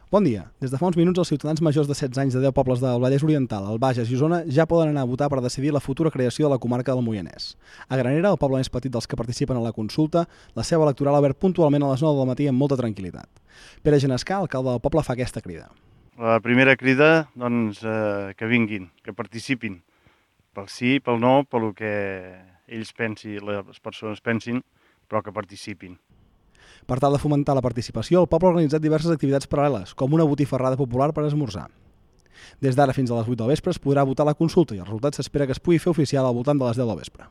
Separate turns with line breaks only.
Bon dia. Des de fa uns minuts, els ciutadans majors de 16 anys de 10 pobles del Vallès Oriental, el Bages i Osona ja poden anar a votar per decidir la futura creació de la comarca del Moianès. A Granera, el poble més petit dels que participen a la consulta, la seu electoral ha obert puntualment a les 9 del matí amb molta tranquil·litat. Pere Genescà, alcalde del poble, fa aquesta crida.
La primera crida, doncs, que vinguin, que participin, pel sí, pel no, pel que ells pensin, les persones pensin, però que participin.
Per tal de fomentar la participació, el poble ha organitzat diverses activitats paral·leles, com una botifarrada popular per esmorzar. Des d'ara fins a les 8 del vespre es podrà votar la consulta i el resultat s'espera que es pugui fer oficial al voltant de les 10 del vespre.